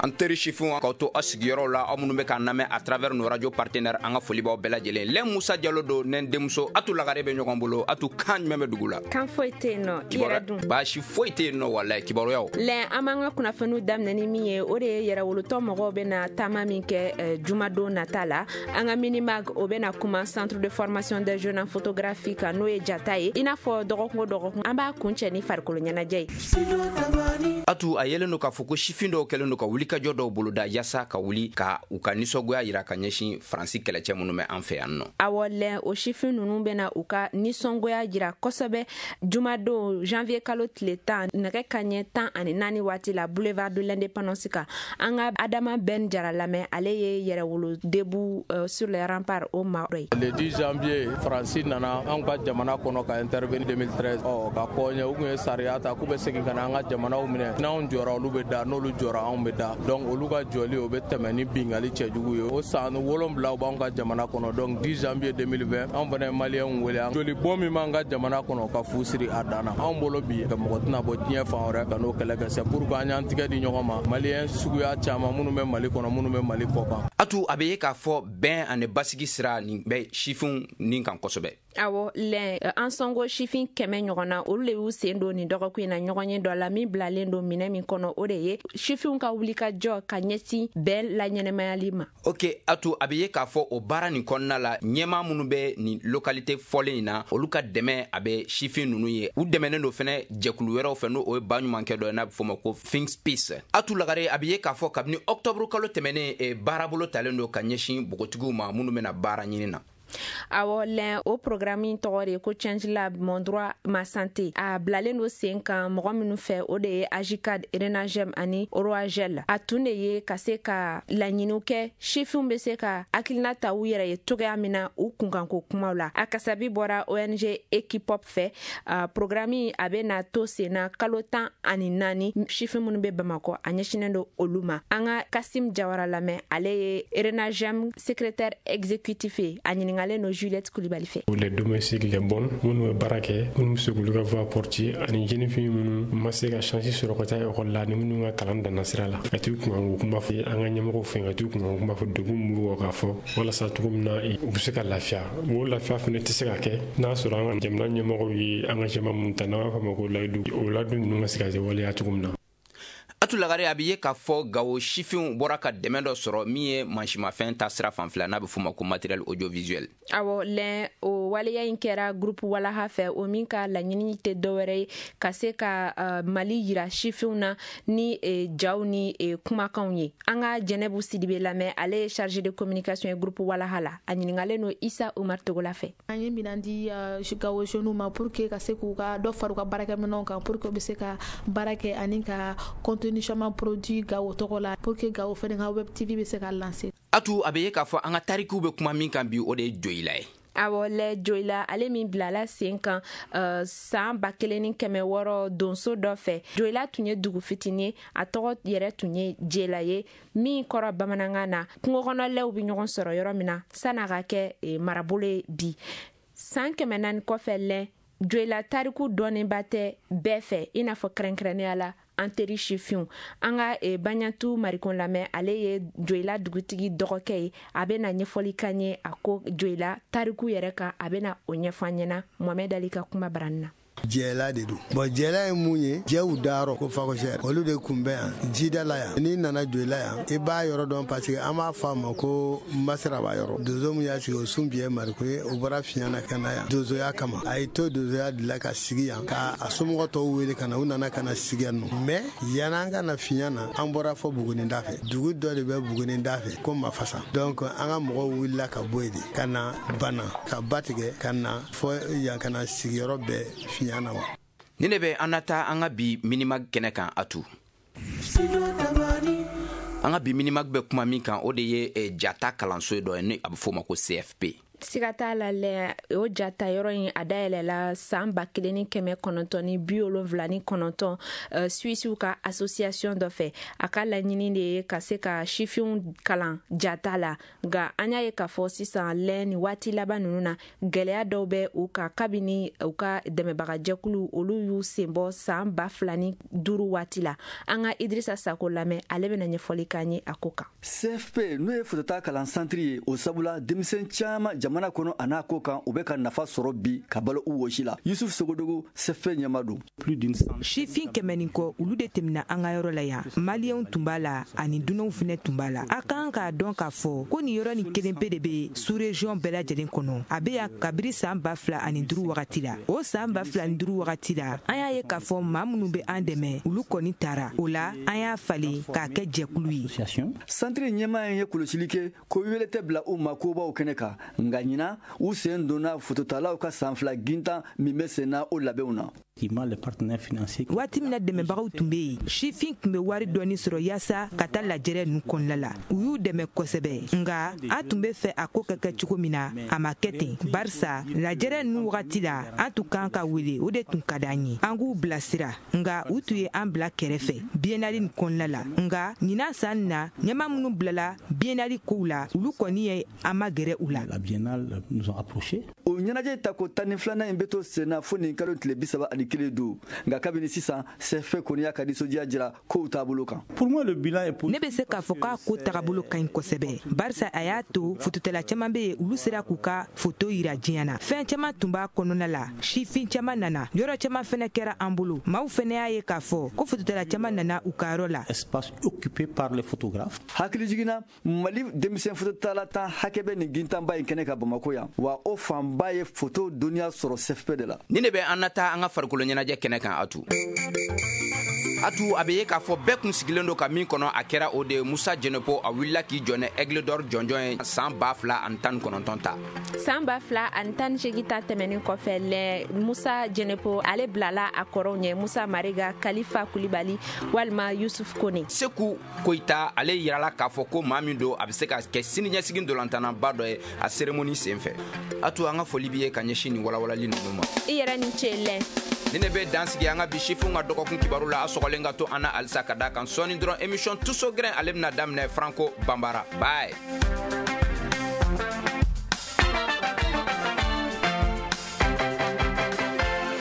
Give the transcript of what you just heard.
An teri sifinw, k'aw to aw sigiyɔrɔw la, aw minnu bɛ k'an lamɛn à travers nos radios partenaires, an ka foli b'aw bɛɛ lajɛlen. Lɛn Musa Jalo don, ne denmuso Atu Lagare bɛ ɲɔgɔn bolo. Atu, kan jumɛn bɛ dugu la? Kan foyi tɛ yen nɔ, i yɛrɛ dun? Baasi foyi tɛ yen nɔ, walayi. Kibaruyaw? Lɛn, an b'an ka kunnafoniw daminɛ ni min ye, o de ye yɛrɛwolotɔ mɔgɔw bɛna taama min kɛ jumadon nata la. An ka minimag, o bɛna kuma Centre de formation des jeunes en photographie kan, n'o ye jata ye. I n'a fɔ dɔgɔkun o dɔgɔkun, an b'a kuncɛ ni farikolo ɲɛnajɛ ye. Atu, a yelen don k'a fɔ ko sifin dɔw kɛlen don ka wulikajɔ dɔw boloda yaasa ka wuli ka u ka nisɔngoya yira ka ɲɛsin Faransi kɛlɛcɛ minnu bɛ an fɛ yan nɔ. Awɔ lɛn, o sifin ninnu bɛna u ka nisɔngoya jira kosɛbɛ jumadon janvier kalo tile 10, nɛgɛ kaɲɛ 14 waati la, boulevard de l'Indépendance kan. An ka Adama Ben Jara lamɛn, ale ye Yɛrɛwolo Debout sur les remparts o maa dɔ ye. Le 10 janvier, Faransi nana anw ka jamana kɔnɔ ka intervenir 2013, ɔ ka kɔɲɛ u kun ye sariya ta k'u bɛ segin ka na an ka jamanaw minɛ. N'anw jɔra, olu bɛ da, n'olu jɔra, anw bɛ da. Donc olu ka jɔli, o bɛ tɛmɛ ni bingali cɛjugu ye. O san 7 u b'anw ka jamana kɔnɔ. Donc 10 janvier 2020, anw fana ye Maliyɛnw wele, joli bɔn min b'an ka jamana kɔnɔ, ka fu siri a dan na. Anw bolo bi, ka mɔgɔ tɛna bɔ diɲɛ fan wɛrɛ ka n'o kɛlɛ kɛ. C'est pourquoi an y'an tigɛ di ɲɔgɔn ma, Maliyɛn suguya caman minnu bɛ Mali kɔnɔ, minnu bɛ Mali kɔ kan. Atu, a bɛ ye k'a fɔ bɛn ani basigi sira nin bɛ sifinw nin kan kosɛbɛ. Awɔ lɛn, an sɔngo sifin 100 ɲɔgɔn na, olu le y'u sen don nin dɔgɔkun in na ɲɔgɔn ye dɔ la min bilalen don minɛ min kɔnɔ, o de ye sifinw ka wulikajɔ ka ɲɛsin bɛn laɲɛnɛmayali ma. Ok Atu, a bɛ ye k'a fɔ o baara nin kɔnɔna la, ɲɛmaa minnu bɛ nin localité fɔlen in na, olu ka dɛmɛ a bɛ sifin ninnu ye. U dɛmɛnen don fɛnɛ jɛkulu wɛrɛw fɛ, n'o o ye baɲumankɛ dɔ ye n'a bɛ fɔ o ma ko Think Peace. Atu Lagare, a bɛ ye k'a fɔ kabini octobre kalo tɛmɛnen, baarabolo talen don ka ɲɛsin npogotigiw ma minnu bɛna baara ɲini na. Awɔ lɛn, o programme in tɔgɔ de ko Change Lab, mon droit, ma santé. A bilalen don sen kan mɔgɔ minnu fɛ, o de ye AJCAD, RENAJEM ani OROAGEL. A tun de ye ka se ka laɲiniw kɛ, sifinw bɛ se ka hakilina ta u yɛrɛ ye cogoya min na u kunkanko kumaw la. A kasabi bɔra ONG Equipop fɛ. Programme a bɛ na to sen na kalo 14, sifin minnu bɛ Bamakɔ, a ɲɛsinnen don olu ma. An ka Kasim Jawara lamɛn, ale ye RENAJEM secrétaire exécutif ye. A ɲininkalen don Juliette Kulibali fɛ. Les domestiques, les bonnes minnu bɛ baara kɛ, minnu bɛ se k'olu ka voix porter, ani jeune fille minnu ma se ka chance sɔrɔ ka taa école la, ani minnu ka kalan danna sira la, ka t'u kunkanko kuma fɔ an ka ɲɛmɔgɔw fɛ, ka t'u kunkanko kuma fɔ, degun min b'u kan, k'a fɔ walasa cogo min na u bɛ se ka lafiya. O lafiya fana tɛ se ka kɛ n'a sɔrɔ an ka jamana ɲɛmɔgɔw ye engagement minnu ta, n'an b'a fɔ a ma ko layidu, o layidu ninnu ka se ka waleya cogo min na. Atu Lagare, a bɛ ye k'a fɔ Gawo sifinw bɔra ka dɛmɛ dɔ sɔrɔ min ye mansimafɛn ta sira fanfɛla, n'a bɛ f'o ma ko matériel audiovisuel. Awɔ lɛn, o waleya in kɛra groupe Walaha fɛ, o min ka laɲini tɛ dɔwɛrɛ ye ka se ka Mali yira sifinw na ni jaw ni kumakanw ye. An ka Jɛnɛbu Sidibe lamɛn, ale ye chargé de communication ye groupe Walaha la. A ɲininkalen don Isa Umar Togola fɛ. An ye minan di Gawo jeunes ma pour que ka se k'u ka dɔ fara u ka baarakɛminɛnw kan, pour que u bɛ se ka baara kɛ ani ka contenu caman produit Gawo tɔgɔ la, pour que Gawo fɛnɛ ka web TV bɛ se ka lancer. Atu, a bɛ ye k'a fɔ an ka tarikiw bɛ kuma min kan bi, o de ye Joyila ye. Awɔ lɛ, Joyila, ale min bilala sen kan san 1600 donso dɔ fɛ. Joyila tun ye dugu fitinin ye, a tɔgɔ yɛrɛ tun ye Jela ye, min kɔrɔ bamanankan na kungo kɔnɔlɛw bɛ ɲɔgɔn sɔrɔ yɔrɔ min na. San'a ka kɛ marabolo ye bi, san 400 kɔfɛ lɛ, Joyila tariku dɔnnenba tɛ bɛɛ fɛ, i n'a fɔ kɛrɛnkɛrɛnnenya la an teri sifinw. An ka Baɲatu Marikon lamɛn, ale ye Joyila dugutigi dɔgɔkɛ ye. A bɛ na ɲɛfɔli kan ye a ko Joyila tariku yɛrɛ kan, a bɛ na o ɲɛfɔ an ɲɛna Mohamɛd Ali ka kuma barani na. Jɛla de don. Bon, jɛla ye mun ye? Jɛw dayɔrɔ ko fakɔsɛ, olu de kun bɛ yan jida la yan. N'i nana Joyila yan, i b'a yɔrɔ dɔn, parce que an b'a fɔ a ma ko Masiraba yɔrɔ. Donso min y'a sigi, o sun biyɛ Mariko ye. O bɔra fiɲɛ na ka na yan donsoya kama. A ye to donsoya de la ka sigi yan, ka a somɔgɔ tɔw wele ka na. U nana ka na sigi yan nɔ. Mais yan'an ka na fiɲɛ na, an bɔra fɔ Buguninda fɛ. Dugu dɔ de bɛ Buguninda fɛ ko Mafasa. Donc an ka mɔgɔw wulila ka bɔ yen de ka na Bana, ka ba tigɛ ka na fɔ yan, ka na sigiyɔrɔ bɛɛ fiɲɛ na wa. Ni ne bɛ an na taa an ka bi minimag kɛnɛ kan. Atu, an ka bi minimag bɛ kuma min kan, o de ye jata kalanso dɔ ye, ni a bɛ f'o ma ko CFP. Siga t'a la lɛ, o jata yɔrɔ in a dayɛlɛla san 1979 Suisiw ka association dɔ fɛ. A ka laɲini de ye ka se ka sifinw kalan jata la. Nka an y'a ye k'a fɔ sisan lɛ, ni waati laban ninnu na, gɛlɛya dɔw bɛ u kan kabini u ka dɛmɛbagajɛkulu olu y'u sen bɔ san 2005 waati la. An ka Idirisa Sako lamɛn, ale bɛna ɲɛfɔli k'an ye a ko kan. CFP, n'o ye fotota kalan santiri ye, o sabula denmisɛn caman jamana kɔnɔ a n'a ko kan, u bɛ ka nafa sɔrɔ bi ka balo u wɔsi la. Yusuf Sogodogo, CFP ɲɛma don. Sifin 100 ni kɔ, olu de tɛmɛna an ka yɔrɔ la yan. Maliyɛnw tun b'a la ani dunanw fɛnɛ tun b'a la. A kan k'a dɔn k'a fɔ ko nin yɔrɔ nin kelen pe de bɛ sous région bɛɛ lajɛlen kɔnɔ. A bɛ yan kabiri san 2005 wagati la. O san 2005 wagati la, an y'a ye k'a fɔ maa minnu bɛ an dɛmɛ, olu kɔni taara. O la, an y'a falen k'a kɛ jɛkulu ye. Santiri ɲɛmaa ye kɔlɔsili kɛ ko wele tɛ bila u ma kobaw kɛnɛ kan, nka ɲina u sen donna fototalaw ka san 2 gintan min bɛ sen na, o labɛnw na. Waati min na dɛmɛbagaw tun bɛ yen, sifin tun bɛ wari dɔɔni sɔrɔ yaasa ka taa lajɛrɛ ninnu kɔnɔna la. U y'u dɛmɛ kosɛbɛ, nka an tun bɛ fɛ a ko ka kɛ cogo min na, a ma kɛ ten, barisa lajɛrɛ ninnu wagati la, an tun kan ka wele. O de tun ka d'an ye, an k'u bilasira, nka u tun ye an bila kɛrɛfɛ biennale nin kɔnɔna la. Nka ɲinan san na, ɲɛma minnu bilala biennale kow la, olu kɔni ye an ma gɛrɛ u la. O ɲɛnajɛ tako 12nan in bɛ to sen na fo nin kalo tile 31 don. Nka kabini sisan, CFP kɔni y'a ka nisɔndiya jira kow taabolo kan. Ne bɛ se k'a fɔ k'a ko tagabolo ka ɲi kosɛbɛ, barisa a y'a to fototala caman bɛ yen, olu sera k'u ka foto yira diɲɛ na. Fɛn caman tun b'a kɔnɔna la, sifin caman nana, yɔrɔ caman fɛnɛ kɛra an bolo. Maaw fɛnɛ y'a ye k'a fɔ ko fototala caman nana u ka yɔrɔ la. Hakili jiginna, Mali denmisɛn fototala 10 hakɛ bɛ nin gintanba in kɛnɛ ka Bamako yan, wa o fanba ye foto dɔnniya sɔrɔ CFP de la. Ni ne bɛ an na taa an ka farikolo ɲɛnajɛ kɛnɛ kan. Atu atu, a bɛ ye k'a fɔ bɛɛ kun sigilen don ka min kɔnɔ, a kɛra o de ye. Musa Jɛnɛpo, a wulila k'i jɔ ni Aigle d'Or jɔnjɔn ye san 2019 ta. San 2018 ta tɛmɛnin kɔfɛ lɛ, Musa Jɛnɛpo, ale bilala a kɔrɔw ɲɛ, Musa Mariga, Kalifa Kulibali walima Yusuf Kone. Seku Koyita, ale yirala k'a fɔ ko maa min don, a bɛ se ka kɛ siniɲɛsigi ntolantannaba dɔ ye, a cérémonie sen fɛ. A to an ka foli b'i ye ka ɲɛsin nin walawalali ninnu ma. I yɛrɛ ni ce lɛ. Ni ne bɛ dan sigi an ka bi sifinw ka dɔgɔkun kibaru la. A sɔgɔlen ka to an na halisa, ka da kan sɔɔni dɔrɔn, émission Tuso Grin, ale bɛna daminɛ Franco Banbara. Bye.